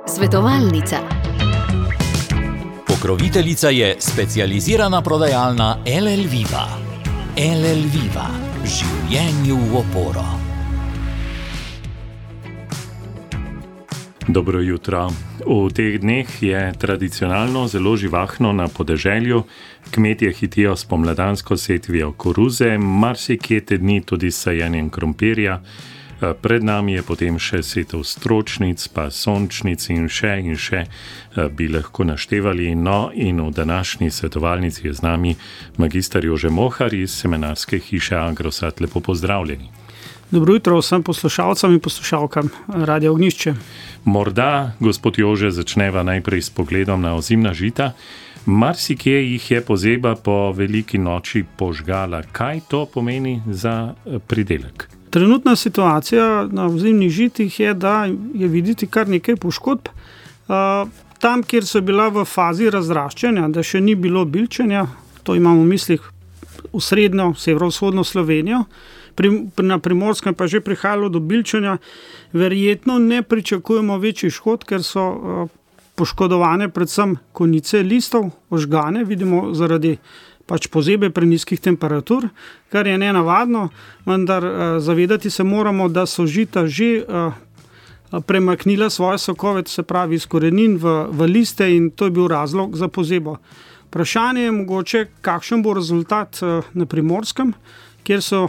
Svetovalnica. Pokroviteljica je specializirana prodajalna LL Viva. LL Viva. Življenju v oporo. Dobro jutro. V teh dneh je tradicionalno zelo živahno na podeželju. Kmetje hitijo s pomladansko setvijo koruze, marsikje te dni tudi s sajenjem krompirja. Pred nami je potem še setev stročnic, pa sončnic in še bi lahko naštevali. No, in v današnji svetovalnici je z nami magister Jože Mohar iz semenarske hiše Agrosat. Lepo pozdravljeni. Dobro jutro vsem poslušalcem in poslušalkam Radia Ognjišče. Morda, gospod Jože, začneva najprej s pogledom na ozimna žita. Marsikje jih je pozeba po veliki noči požgala. Kaj to pomeni za pridelek? Trenutna situacija na ozimnih žitih je, da je videti kar nekaj poškodb. Tam, kjer so bila v fazi razraščanja, da še ni bilo bilčenja, to imamo v mislih v srednjo, severovzhodno Slovenijo, na Primorskem pa že prihajalo do bilčenja, verjetno ne pričakujemo večjih škod, ker so poškodovane predvsem konice listov, ožgane, vidimo zaradi pozebe prenizkih temperatur, kar je nenavadno, vendar zavedati se moramo, da so žita že premaknila svoje sokove, se pravi iz korenin v liste, in to je bil razlog za pozebo. Vprašanje je mogoče, kakšen bo rezultat na Primorskem, kjer so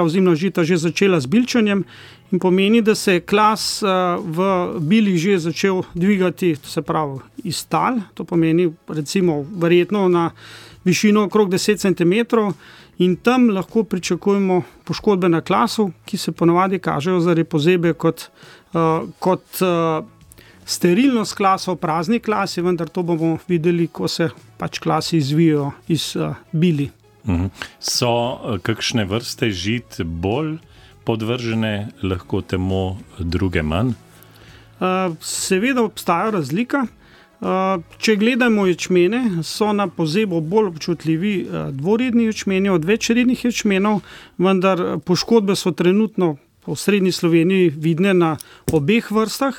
ozimna žita že začela z bilčenjem, in pomeni, da se je klas v bilih že začel dvigati, se pravi iz tal, to pomeni recimo verjetno na višino okrog 10 cm, in tam lahko pričakujemo poškodbe na klasu, ki se ponavadi kažejo zaradi pozebe kot sterilnost klasov, prazni klasi, vendar to bomo videli, ko se klasi izvijajo iz bili. So kakšne vrste žit bolj podvržene lahko temu, druge manj? Seveda obstaja razlika. Če gledamo ječmene, so na pozebo bolj občutljivi dvoredni ječmeni od večrednih ječmenov, vendar poškodbe so trenutno v srednji Sloveniji vidne na obeh vrstah.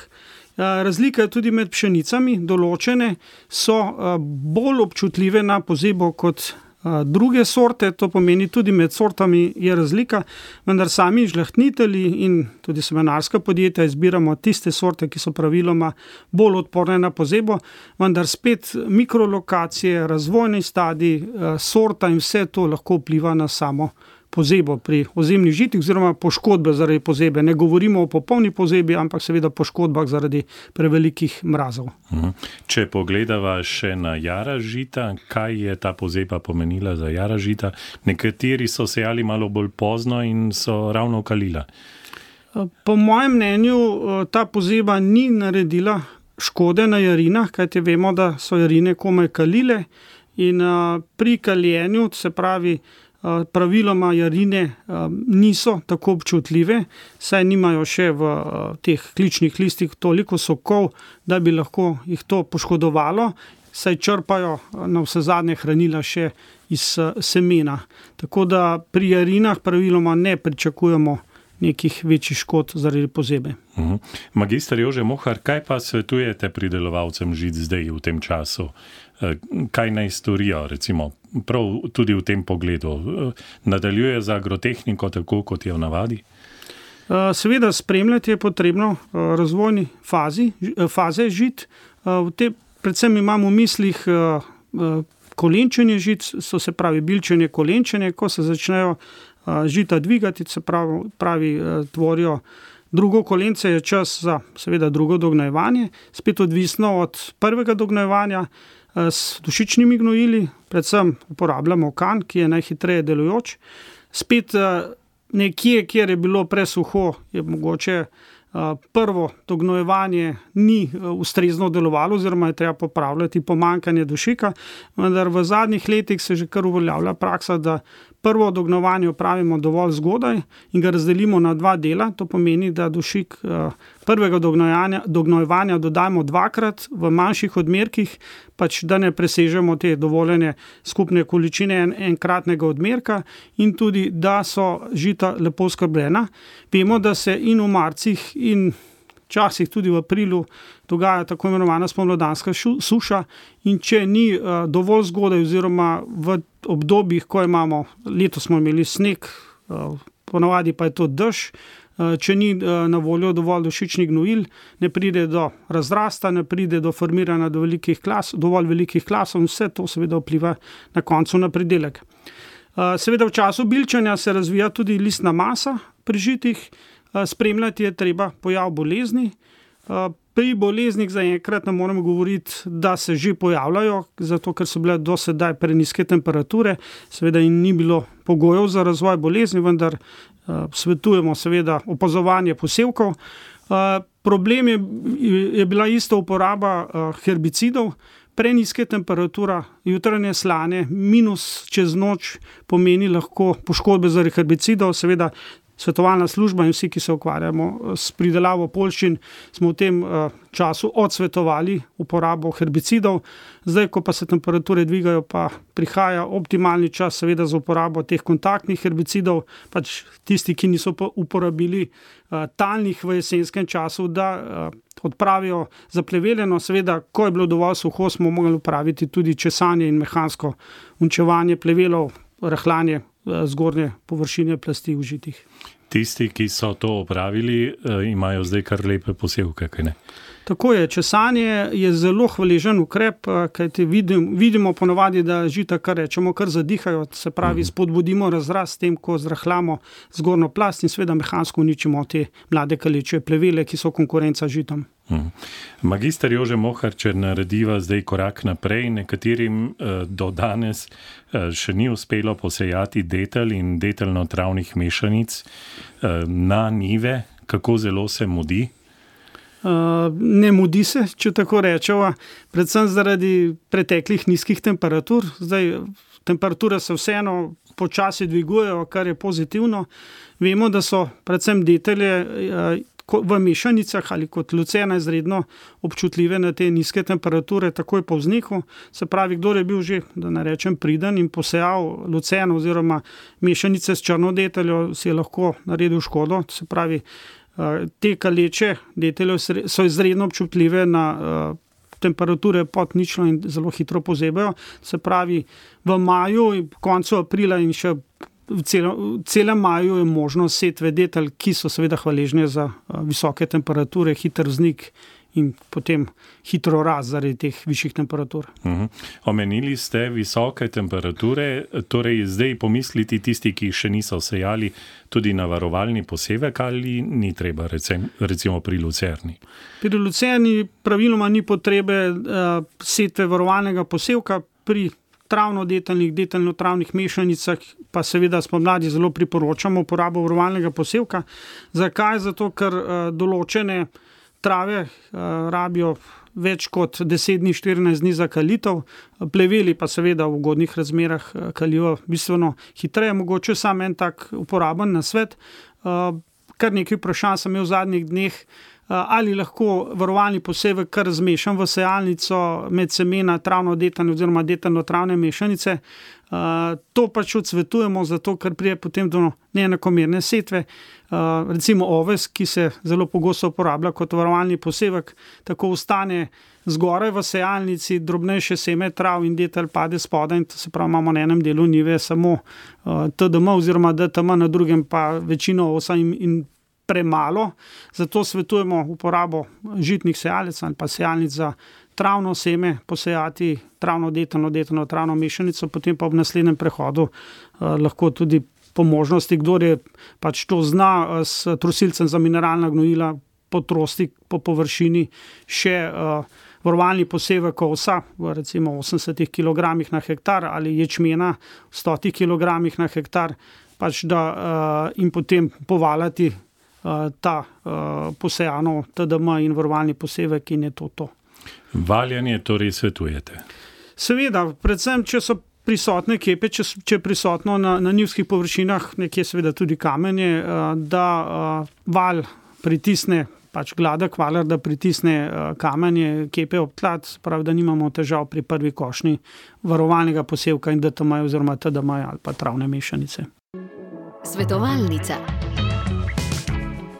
Razlika je tudi med pšenicami, določene so bolj občutljive na pozebo kot druge sorte, to pomeni tudi med sortami je razlika, vendar sami žlahtnitelji in tudi semenarska podjetja izbiramo tiste sorte, ki so praviloma bolj odporne na pozebo, vendar spet mikrolokacije, razvojni stadij, sorta in vse to lahko vpliva na samo pozebo pri ozimnih žitih oziroma poškodbe zaradi pozebe. Ne govorimo o popolni pozebi, ampak seveda poškodbah zaradi prevelikih mrazov. Če pogledava še na jara žita, kaj je ta pozeba pomenila za jara žita? Nekateri so sejali malo bolj pozno in so ravno kalila. Po mojem mnenju ta pozeba ni naredila škode na jarinah, kajti vemo, da so jarine komaj kalile, in pri kaljenju, se pravi, praviloma jarine niso tako občutljive, saj nimajo še v teh kličnih listih toliko sokov, da bi lahko jih to poškodovalo, saj črpajo na vsezadnje hranila še iz semena. Tako da pri jarinah praviloma ne pričakujemo nekih večjih škod zaradi pozebe. Magister Jože Mohar, kaj pa svetujete pridelovalcem žit zdaj v tem času? Kaj naj storijo, recimo, prav tudi v tem pogledu? Nadaljuje z agrotehniko tako, kot je v navadi? Seveda spremljati je potrebno razvojni faze žit. Predvsem imamo v mislih kolenčenje žit, so se pravi bilčenje, kolenčenje, ko se začnejo žita dvigati, se pravi tvorijo drugo kolence, je čas za seveda drugo dognojevanje, spet odvisno od prvega dognojevanja. S dušičnimi gnojili, predvsem uporabljamo kan, ki je najhitreje delujoč. Spet nekje, kjer je bilo presuho, je mogoče prvo dognojevanje ni ustrezno delovalo, oziroma je treba popravljati pomanjkanje dušika, vendar v zadnjih letih se že kar uveljavlja praksa, da prvo dognojevanje opravimo dovolj zgodaj in ga razdelimo na dva dela. To pomeni, da dušik prvega dognojevanja dodajmo 2-krat v manjših odmerkih, pač da ne presežemo te dovoljene skupne količine enkratnega odmerka in tudi, da so žita lepo skrbljena. Vemo, da se in v marcih in včasih tudi v aprilu dogaja tako imenovana spomladanska suša in če ni dovolj zgodaj oziroma v obdobjih, ko imamo, letos smo imeli sneg, ponavadi pa je to dež, če ni na voljo dovolj dušičnih gnojil, ne pride do razrasta, ne pride do formiranja dovolj velikih klasov in vse to seveda vpliva na koncu na pridelek. Seveda v času bilčenja se razvija tudi listna masa pri žitih, spremljati je treba pojav bolezni. Pri boleznih zaenkrat ne moremo govoriti, da se že pojavljajo, zato ker so bile do sedaj prenizke temperature, seveda in ni bilo pogojev za razvoj bolezni, vendar svetujemo seveda opazovanje posevkov. Problem je bila isto uporaba herbicidov, prenizke temperatura, jutranje slane, minus čez noč pomeni lahko poškodbe zaradi herbicidov, seveda svetovalna služba in vsi, ki se ukvarjamo s pridelavo poljščin, smo v tem času odsvetovali uporabo herbicidov. Zdaj, ko pa se temperature dvigajo, pa prihaja optimalni čas seveda za uporabo teh kontaktnih herbicidov, pač tisti, ki niso uporabili talnih v jesenskem času, da odpravijo zapleveljeno. Seveda, ko je bilo dovolj suho, smo mogli upraviti tudi česanje in mehansko unčevanje plevelov, rahljanje zgornje površine plasti v žitih. Tisti, ki so to opravili, imajo zdaj kar lepe posevke, kaj ne? Tako je, česanje je zelo hvaležen ukrep, kajti vidimo ponavadi, da žita, kar rečemo, kar zadihajo, se pravi, spodbudimo razrast s tem, ko zrahljamo zgornjo plast in seveda mehansko uničimo te mlade kaleče plevele, ki so konkurenca žitom. Magister Jože Moharčer narediva zdaj korak naprej. Nekaterim do danes še ni uspelo posejati detelj in deteljno-travnih mešanic na njive. Kako zelo se mudi? Ne mudi se, če tako rečemo, predvsem zaradi preteklih nizkih temperatur. Zdaj, temperature se vseeno počasi dvigujejo, kar je pozitivno. Vemo, da so predvsem detelje v mešanicah ali kot lucena izredno občutljive na te nizke temperature takoj po vzniku. Se pravi, kdor je bil že, da ne rečem, priden in posejal luceno oziroma mešanice s črno deteljo, si je lahko naredil škodo. Se pravi, te kaleče deteljo so izredno občutljive na temperature pod ničlo in zelo hitro pozebejo. Se pravi, v maju, koncu aprila in še v celem maju je možno setve detelj, ki so seveda hvaležne za visoke temperature, hiter vznik in potem hitro rast zaradi teh višjih temperatur. Omenili ste visoke temperature, torej zdaj pomisliti tisti, ki še niso sejali, tudi na varovalni posevek ali ni treba, recimo pri lucerni? Pri lucerni praviloma ni potrebe setve varovalnega posevka, pri travno-deteljnih, deteljno-travnih mešanicah pa seveda spomladi zelo priporočamo uporabo varovalnega posevka. Zakaj? Zato, ker določene trave rabijo več kot 10 dni, 14 dni za kalitev, pleveli pa seveda v ugodnih razmerah kalijo bistveno hitreje. Mogoče sam en tak uporaben nasvet. Kar nekaj vprašanj sem imel v zadnjih dneh, ali lahko varovalni posevek kar zmešam v sejalnico med semena travno-deteljne oziroma deteljno-travne mešanice. To pač odsvetujemo, zato ker prije potem do neenakomerne setve. Recimo oves, ki se zelo pogosto uporablja kot varovalni posevek, tako ostane zgoraj v sejalnici, drobnejše seme trav in detelj pade spodaj in to se pravi, imamo na enem delu njive samo TDM oziroma DTM, na drugem pa večino osa in premalo, zato svetujemo uporabo žitnih sejalnic ali pa sejalnic za travno seme, posejati travno mešanico, potem pa v naslednjem prehodu lahko tudi po možnosti, kdor je pač to zna, s trosilcem za mineralna gnojila potrosti po površini še varovalni posevek ovsa v recimo 80 kg na hektar ali ječmena v 100 kg na hektar, pač da in potem povaljati ta posejano TDM in varovalni posevek in je to. Valjanje torej svetujete? Seveda, predvsem, če so prisotne kepe, če je prisotno na njivskih površinah, nekje seveda tudi kamenje, da valj pritisne pač gladek valer, da pritisne kamenje, kepe ob tla, pravi, da nimamo težav pri prvi košnji varovalnega posevka in DTM oziroma TDM ali pa travne mešanice. Svetovalnica.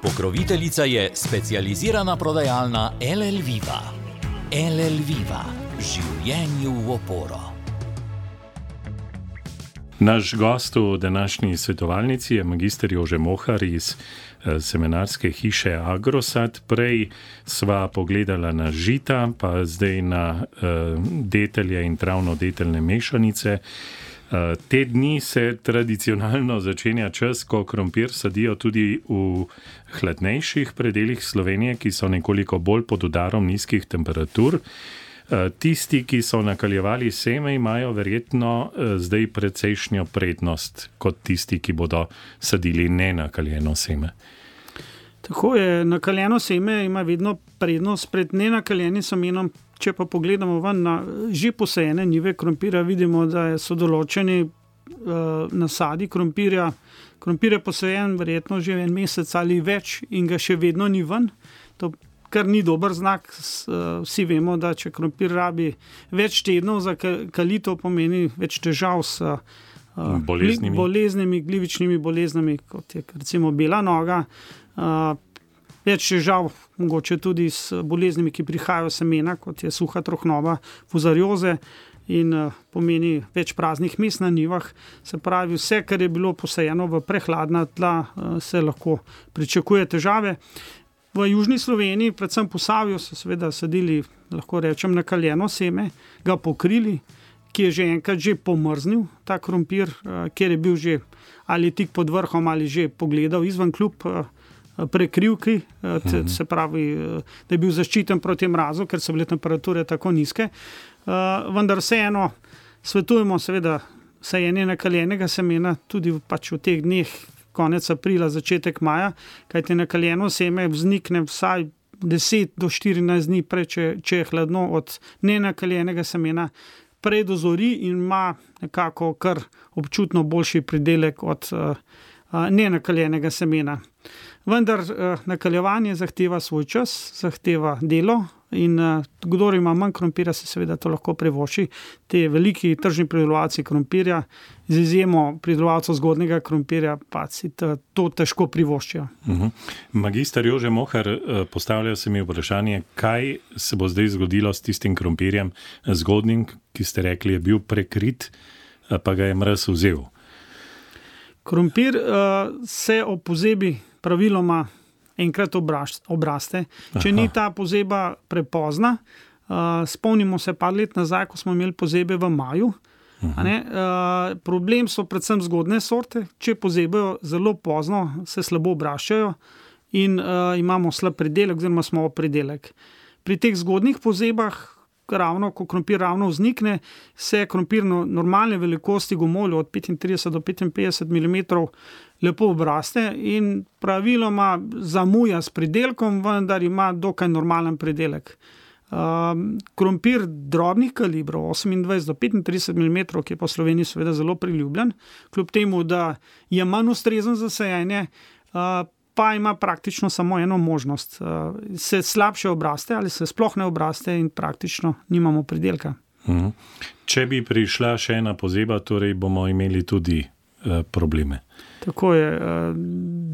Pokroviteljica je specializirana prodajalna LL Viva. LL Viva. Življenju v oporo. Naš gost v današnji svetovalnici je magister Jože Mohar iz semenarske hiše Agrosad. Prej sva pogledala na žita, pa zdaj na detelje in travno-deteljne mešanice. Te dni se tradicionalno začenja čas, ko krompir sadijo tudi v hladnejših predelih Slovenije, ki so nekoliko bolj pod udarom nizkih temperatur. Tisti, ki so nakaljevali seme, imajo verjetno zdaj precejšnjo prednost kot tisti, ki bodo sadili nenakaljeno seme. Tako je, nakaljeno seme ima vedno prednost pred nenakaljenim semenom. Če pa pogledamo ven na že posajene njive krompirja, vidimo, da so določeni nasadi krompirja. Krompir je posajen verjetno že en mesec ali več in ga še vedno ni ven. To kar ni dober znak. Vsi vemo, da če krompir rabi več tednov za kalitev, pomeni več težav s boleznimi, glivičnimi boleznimi, kot je recimo bela noga. Več težav, mogoče tudi s boleznimi, ki prihajajo semena, kot je suha trohnova, fuzarioze in pomeni več praznih mest na njivah. Se pravi, vse, kar je bilo posajeno v prehladna tla, se lahko pričakuje težave. V južni Sloveniji, predvsem Posavju, so seveda sadili, lahko rečem, nakaljeno seme, ga pokrili, ki je že enkrat že pomrznil ta krompir, kjer je bil že ali tik pod vrhom ali že pogledal izven kljub prekrivki, se pravi, da je bil zaščiten proti mrazu, ker so bile temperature tako nizke. Vendar vseeno svetujemo seveda sajenje nakaljenega semena tudi pač v teh dneh, konec aprila, začetek maja, kajti nakaljeno seme vznikne vsaj 10 do 14 dni prej, če je hladno, od nenakaljenega semena predozori in ima nekako kar občutno boljši pridelek od nenakaljenega semena. Vendar nakaljevanje zahteva svoj čas, zahteva delo in kdor ima manj krompirja, se seveda to lahko privošči. Te veliki tržni pridelovalci krompirja, z izjemo pridelovalcev zgodnjega krompirja, pa si to težko privoščijo. Magister Jože Mohar, postavlja se mi vprašanje, kaj se bo zdaj zgodilo s tistim krompirjem zgodnjim, ki ste rekli, je bil prekrit, pa ga je mraz vzel. Krompir se ob pozebi praviloma enkrat obraste. Če ni ta pozeba prepozna, spomnimo se par let nazaj, ko smo imeli pozebe v maju. Problem so predvsem zgodne sorte. Če pozebejo zelo pozno, se slabo obraščajo in imamo slab pridelek oziroma smo pridelek. Pri teh zgodnih pozebah, ko krompir ravno vznikne, se krompir normalne velikosti gomolja od 35 do 55 mm lepo obraste in praviloma zamuja s pridelkom, vendar ima dokaj normalen pridelek. Krompir drobnih kalibrov, 28 do 35 mm, ki je po Sloveniji seveda zelo priljubljen, kljub temu, da je manj ustrezen za sajenje, pa ima praktično samo eno možnost. Se slabše obraste ali se sploh ne obraste in praktično nimamo pridelka. Če bi prišla še ena pozeba, torej bomo imeli tudi probleme. Tako je.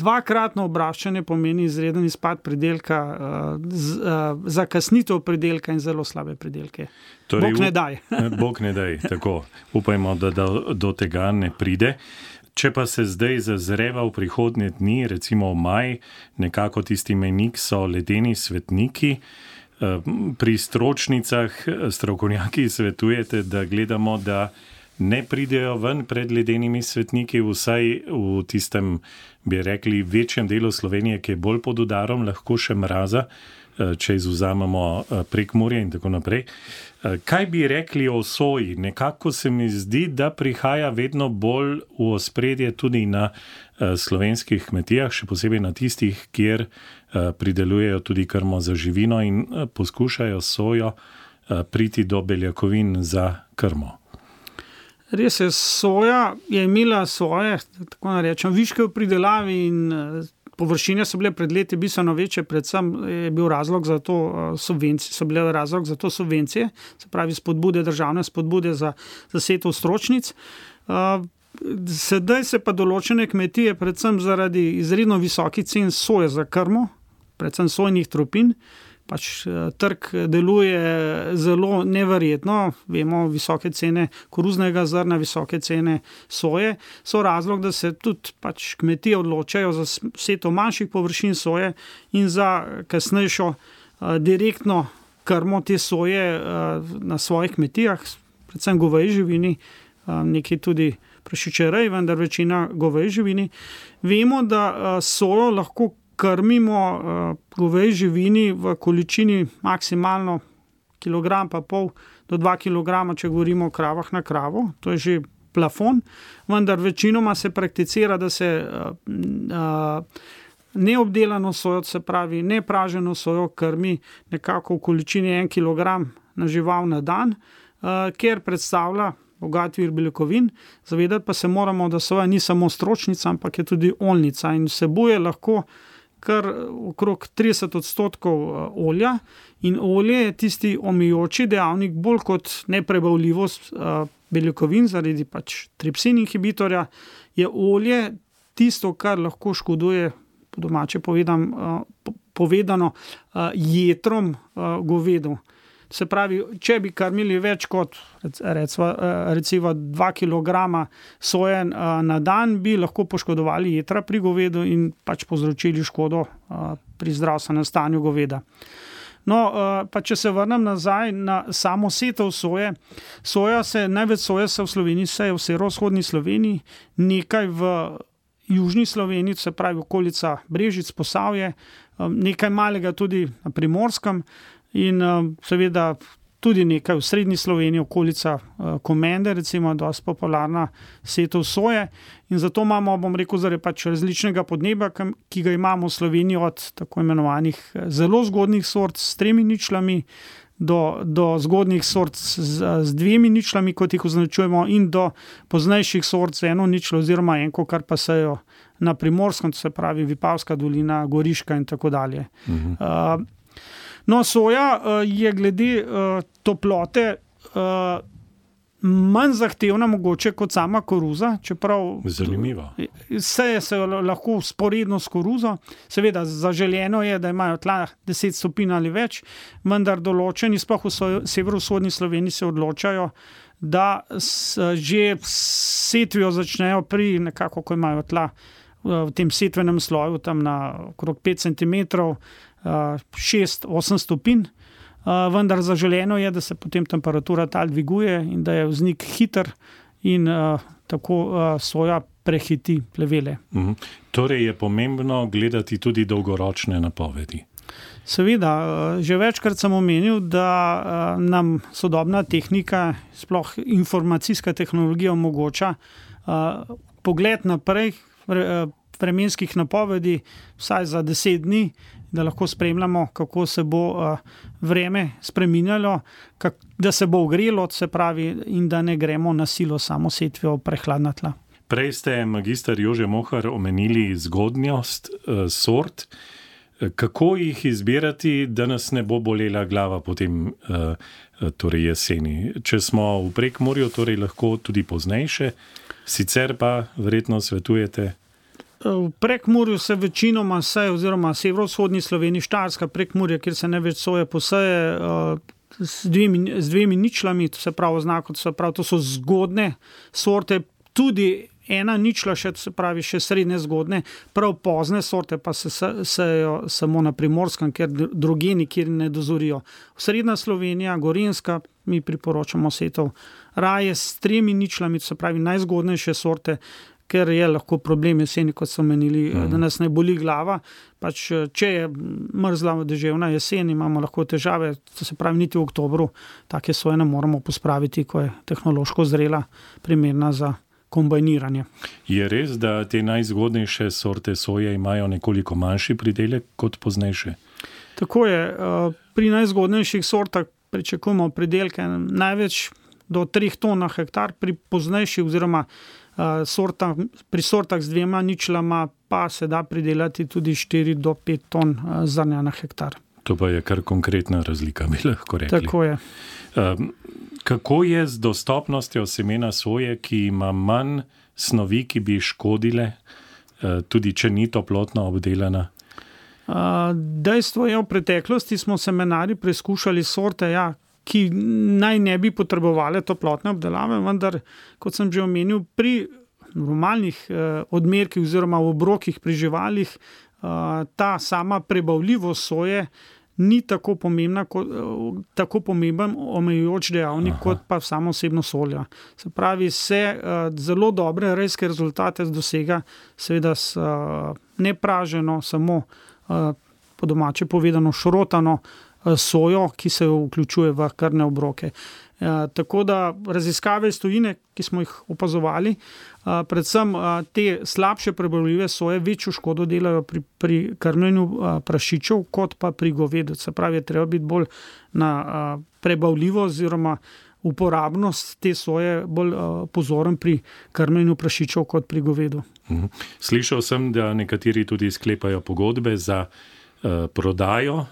Dvakratno obraščanje pomeni izreden izpad pridelka, zakasnitev pridelka in zelo slabe pridelke. Torej, Bog ne daj. Bog ne daj, tako. Upajmo, da do tega ne pride. Če pa se zdaj zazreva v prihodnje dni, recimo v maj, nekako tisti mejnik so ledeni svetniki. Pri stročnicah strokovnjaki svetujete, da gledamo, da ne pridejo ven pred ledenimi svetniki, vsaj v tistem, bi rekli, večjem delu Slovenije, ki je bolj pod udarom, lahko še mraza, če izvzamemo Prekmurje in tako naprej. Kaj bi rekli o soji? Nekako se mi zdi, da prihaja vedno bolj v ospredje tudi na slovenskih kmetijah, še posebej na tistih, kjer pridelujejo tudi krmo za živino in poskušajo sojo priti do beljakovin za krmo. Res je, soja je imela svoje, tako narečem, viške v pridelavi in površine so bile pred leti bistveno večje, predvsem je bil razlog za to subvencije, se pravi državne spodbude za setev stročnic. Sedaj se pa določene kmetije, predvsem zaradi izredno visokih cen soje za krmo, predvsem sojnih tropin, trg deluje zelo neverjetno, vemo, visoke cene koruznega zrna, visoke cene soje, so razlog, da se tudi kmetije odločajo za setev manjših površin soje in za kasnejšo direktno krmo te soje na svojih kmetijah, predvsem goveji živini, nekaj tudi prašičerej, vendar večina goveji živini. Vemo, da sojo lahko krmimo goveji živini v količini maksimalno 1,5 kg do 2 kg, če govorimo o kravah na kravo, to je že plafon, vendar večinoma se prakticira, da se neobdelano sojo, se pravi nepraženo sojo krmi nekako v količini 1 kg na žival na dan, ker predstavlja bogat vir beljakovin. Zavedati pa se moramo, da soja ni samo stročnica, ampak je tudi oljnica in vsebuje lahko kar okrog 30% olja in olje je tisti omejujoči dejavnik bolj kot neprebavljivost beljakovin zaradi tripsin inhibitorja, je olje tisto, kar lahko škoduje, po domače povedano, jetrom govedu. Se pravi, če bi krmili več kot recimo 2 kg soje na dan, bi lahko poškodovali jetra pri govedu in povzročili škodo pri zdravstvenem stanju goveda. No, pa če se vrnem nazaj na samo setev soje. Največ soje se v Sloveniji seje v severovzhodni Sloveniji, nekaj v južni Sloveniji, se pravi okolica Brežic, Posavje, nekaj malega tudi na Primorskem, in seveda tudi nekaj v srednji Sloveniji, okolica Komende, recimo, dosti popularna setev soje. In zato imamo, zaradi različnega podnebja, ki ga imamo v Sloveniji, od tako imenovanih zelo zgodnih sort s 3 ničlami do zgodnih sort z 2 ničlami, kot jih označujemo, in do poznejših sort z 1 ničlo oziroma enko, kar pa sejo na Primorskem, to se pravi Vipavska dolina, Goriška in tako dalje. No, soja je glede toplote manj zahtevna mogoče kot sama koruza, čeprav zanimivo. Seje se lahko vzporedno s koruzo. Seveda zaželeno je, da imajo tla 10 stopinj ali več, vendar določeni, sploh v severovzhodni Sloveniji, se odločajo, da že setvijo začnejo pri nekako, ko imajo tla v tem setvenem sloju tam na okrog 5 cm, 6-8 stopinj, vendar zaželeno je, da se potem temperatura tal dviguje in da je vznik hiter in tako soja prehiti plevele. Torej je pomembno gledati tudi dolgoročne napovedi. Seveda, že večkrat sem omenil, da nam sodobna tehnika, sploh informacijska tehnologija omogoča pogled naprej vremenskih napovedi vsaj za 10 dni, da lahko spremljamo, kako se bo vreme spreminjalo, da se bo ogrelo, se pravi, in da ne gremo na silo samo setvijo prehladna tla. Prej ste, magister Jože Mohar, omenili zgodnjost sort. Kako jih izbirati, da nas ne bo bolela glava potem torej jeseni? Če smo v Prekmurju, torej lahko tudi poznejše, sicer pa verjetno svetujete? V Prekmurju se večinoma seje, oziroma severovzhodni Sloveniji, Štajerska, Prekmurje, kjer se največ soje poseje z 2 ničlami, to se pravi oznako, to so zgodne sorte, tudi 1 ničla, se pravi še srednje zgodne, prav pozne sorte pa se sejejo samo na Primorskem, ker drugje nikjer ne dozorijo. Srednja Slovenija, Gorenjska, mi priporočamo setev raje s 3 ničlami, to se pravi najzgodnejše sorte, ker je lahko problem jeseni, kot so menili, da nas ne boli glava. Če je mrzla deževna jesen, imamo lahko težave, to se pravi niti v oktobru, take soje ne moramo pospraviti, ko je tehnološko zrela, primerna za kombajniranje. Je res, da te najzgodnejše sorte soje imajo nekoliko manjši pridelek kot poznejše? Tako je. Pri najzgodnejših sortah pričakujemo pridelke največ do 3 ton na hektar, pri poznejših oziroma Pri sortah z 2 ničlama pa se da pridelati tudi 4 do 5 ton zrnja na hektar. To pa je kar konkretna razlika, bi lahko rekli. Tako je. Kako je z dostopnostjo semena soje, ki ima manj snovi, ki bi škodile, tudi če ni toplotno obdelana? Dejstvo je, v preteklosti smo semenarji preizkušali sorte, ki naj ne bi potrebovali toplotne obdelave, vendar, kot sem že omenil, pri normalnih odmerkih oziroma v obrokih pri živalih ta sama prebavljivost soje ni tako pomemben omejujoč dejavnik kot pa samo osebnost olja. Se pravi, zelo dobre rejske rezultate dosega seveda s nepraženo, samo po domače povedano šrotano sojo, ki se vključuje v krvne obroke. Tako da raziskave iz tujine, ki smo jih opazovali, predvsem te slabše prebavljive soje večjo škodo delajo pri krmljenju prašičev kot pa pri govedu. Se pravi, je treba biti bolj na prebavljivost oziroma uporabnost te soje bolj pozoren pri krmljenju prašičev kot pri govedu. Slišal sem, da nekateri tudi sklepajo pogodbe za prodajo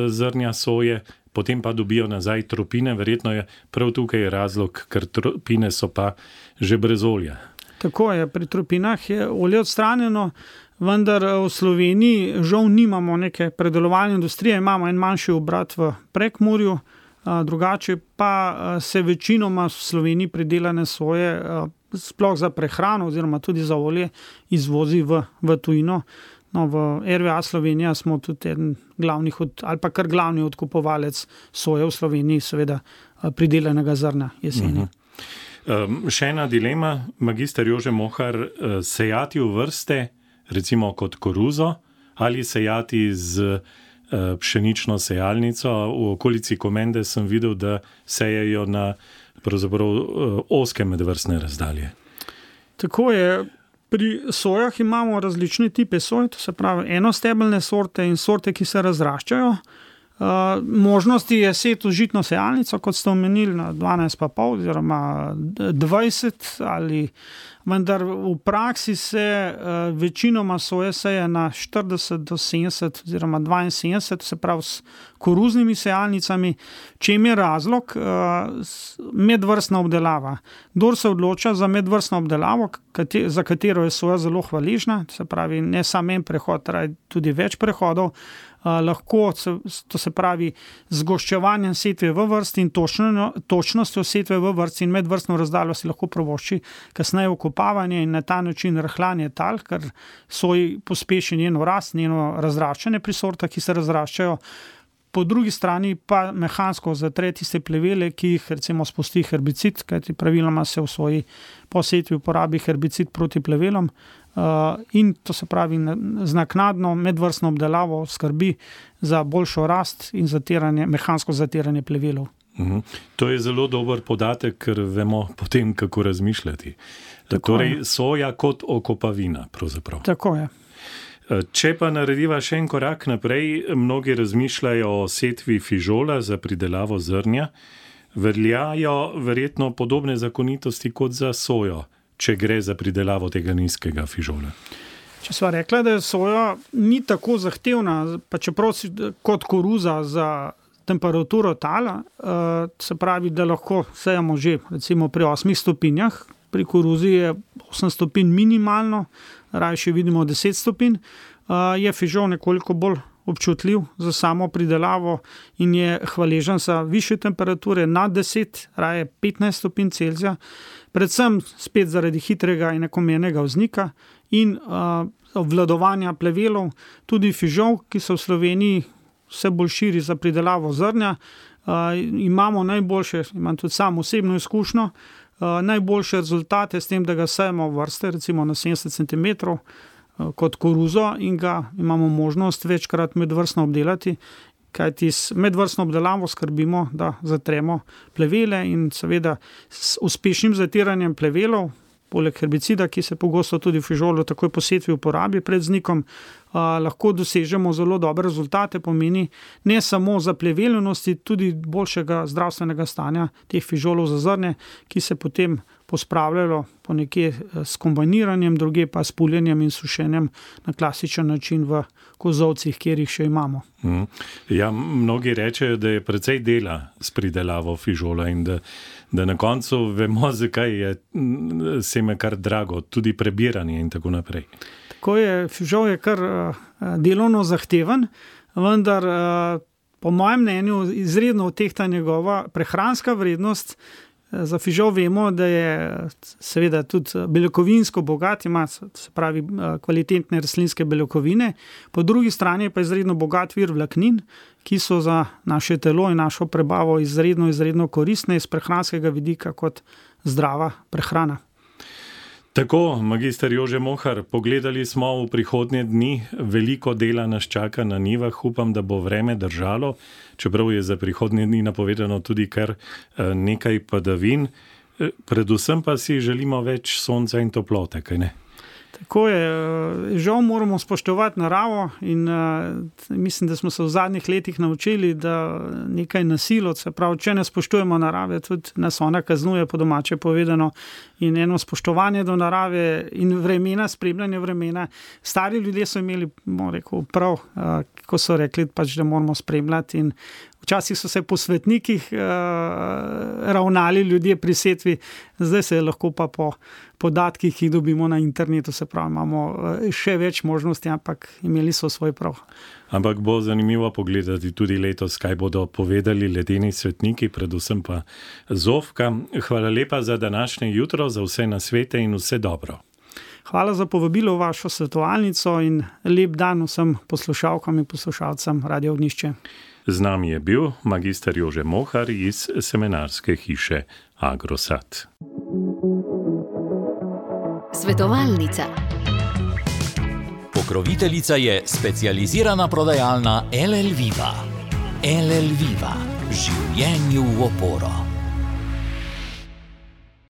zrnja soje, potem pa dobijo nazaj tropine. Verjetno je prav tukaj razlog, ker tropine so pa že brez olja. Tako je, pri tropinah je olje odstranjeno, vendar v Sloveniji žal nimamo neke predelovalne industrije, imamo en manjši obrat v Prekmurju, drugače pa se večinoma v Sloveniji pridelane soje sploh za prehrano oziroma tudi za olje izvozi v tujino. No, v RVA Slovenija smo tudi eden glavnih ali pa kar glavni odkupovalec soje v Sloveniji, seveda pridelanega zrna jeseni. Še ena dilema, magister Jože Mohar, sejati v vrste, recimo kot koruzo, ali sejati z pšenično sejalnico. V okolici Komende sem videl, da sejejo na pravzaprav ozke medvrstne razdalje. Tako je. Pri sojah imamo različne tipe soj, to se pravi enostebelne sorte in sorte, ki se razraščajo. Možnosti je seti v žitno sejalnico, kot ste omenili, na 12,5 oziroma 20, vendar v praksi se večinoma soje seje na 40 do 70 oziroma 72, se pravi s koruznimi sejalnicami. Čem je razlog? Medvrstna obdelava. Kdor se odloča za medvrstno obdelavo, za katero je soja zelo hvaležna, se pravi ne samo en prehod, tudi več prehodov, lahko, to se pravi z goščevanjem setve v vrsti in točnostjo setve v vrsti in medvrstno razdaljo si lahko privošči kasneje okopavanje in na ta način rahljanje tal, ker soji pospeši njeno rast, njeno razraščanje pri sortah, ki se razraščajo. Po drugi strani pa mehansko zatre tiste plevele, ki jih recimo spusti herbicid, kajti praviloma se v soji po setvi uporabi herbicid proti plevelom, in to se pravi z naknadno medvrstno obdelavo skrbi za boljšo rast in mehansko zatiranje plevelov. To je zelo dober podatek, ker vemo potem, kako razmišljati. Torej soja kot okopavina pravzaprav. Tako je. Če pa narediva še en korak naprej, mnogi razmišljajo o setvi fižola za pridelavo zrnja, veljajo verjetno podobne zakonitosti kot za sojo, če gre za pridelavo tega nizkega fižola. Če sva rekla, da soja ni tako zahtevna, pa čeprav kot koruza za temperaturo tala, se pravi, da lahko sejamo že recimo pri 8 stopinjah, pri koruzi je 8 stopinj minimalno, rajši vidimo 10 stopinj, je fižol nekoliko bolj občutljiv za samo pridelavo in je hvaležen za višje temperature nad 10, raje 15 stopinj Celzija, predvsem spet zaradi hitrega in enakomernega vznika in obvladovanja plevelov. Tudi fižol, ki se v Sloveniji vse bolj širi za pridelavo zrnja, imamo imam tudi sam osebno izkušnjo, najboljše rezultate s tem, da ga sejemo v vrste, recimo na 70 cm kot koruzo in ga imamo možnost večkrat medvrstno obdelati, kajti s medvrstno obdelavo skrbimo, da zatremo plevele in seveda s uspešnim zatiranjem plevelov, poleg herbicida, ki se pogosto tudi v fižolu takoj po setvi uporabi pred vznikom, lahko dosežemo zelo dobre rezultate, pomeni ne samo za pleveljenosti, tudi boljšega zdravstvenega stanja teh fižolov za zrnje, ki se potem pospravljalo po nekje s kombiniranjem, druge pa s puljenjem in sušenjem na klasičen način v kozovcih, kjer jih še imamo. Ja, mnogi rečejo, da je precej dela s pridelavo fižola in da na koncu vemo, zakaj je seme kar drago, tudi prebiranje in tako naprej. Tako je, fižol je kar delovno zahteven, vendar po mojem mnenju izredno odtehta njegova prehranska vrednost. Za fižol vemo, da je seveda tudi beljakovinsko bogat, ima se pravi kvalitetne rastlinske beljakovine, po drugi strani pa je izredno bogat vir vlaknin, ki so za naše telo in našo prebavo izredno koristne iz prehranskega vidika kot zdrava prehrana. Tako, magister Jože Mohar, pogledali smo v prihodnje dni, veliko dela nas čaka na njivah, upam, da bo vreme držalo, čeprav je za prihodnje dni napovedano tudi kar nekaj padavin, predvsem pa si želimo več sonca in toplote, kaj ne? Tako je, žal moramo spoštovati naravo in mislim, da smo se v zadnjih letih naučili, da nekaj nasilo, se pravi, če ne spoštujemo narave, tudi nas ona kaznuje, po domače povedano, in eno spoštovanje do narave in vremena, spremljanje vremena. Stari ljudje so imeli, bom rekel, prav, ko so rekli, pač, da moramo spremljati in včasih so se po svetnikih ravnali ljudje pri setvi, zdaj se lahko pa po podatkih, ki jih dobimo na internetu, se pravi, imamo še več možnosti, ampak imeli so svoj prav. Ampak bo zanimivo pogledati tudi letos, kaj bodo povedali ledeni svetniki, predvsem pa Zofka. Hvala lepa za današnje jutro, za vse nasvete in vse dobro. Hvala za povabilo v vašo svetovalnico in lep dan vsem poslušalkam in poslušalcem Radio Ognjišče. Z nami je bil magister Jože Mohar iz semenarske hiše Agrosat. Svetovalnica. Pokroviteljica je specializirana prodajalna LL Viva. LL Viva. Življenju v oporo.